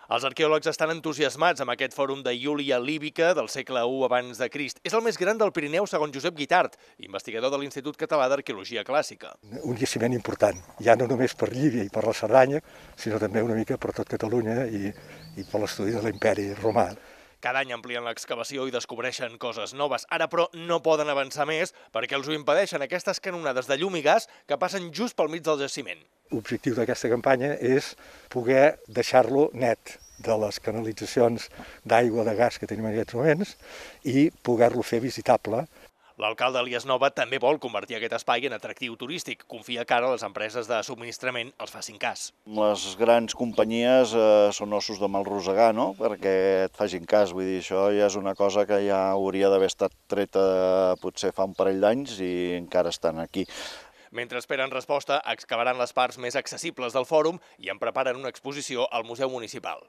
Els arqueòlegs estan entusiasmats amb aquest fòrum de Iúlia Líbica del segle I abans de Crist. És el més gran del Pirineu segons Josep Guitart, investigador de l'Institut Català d'Arqueologia Clàssica. Un jaciment important, ja no només per Llívia i per la Cerdanya, sinó també una mica per tot Catalunya i per l'estudi de l'imperi romà. Cada any amplien l'excavació i descobreixen coses noves. Ara, però, no poden avançar més perquè els ho impedeixen aquestes canonades de llum i gas que passen just pel mig del jaciment. L'objectiu d'aquesta campanya és poder deixar-lo net de les canalitzacions d'aigua de gas que tenim en aquests moments i poder-lo fer visitable. L'alcalde Elias Nova també vol convertir aquest espai en atractiu turístic. Confia que ara les empreses de subministrament els facin cas. Les grans companyies són ossos de mal rosegar, no? Perquè et facin cas. Vull dir, això ja és una cosa que ja hauria d'haver estat treta potser fa un parell d'anys i encara estan aquí. Mentre esperen resposta, excavaran les parts més accessibles del fòrum i en preparen una exposició al Museu Municipal.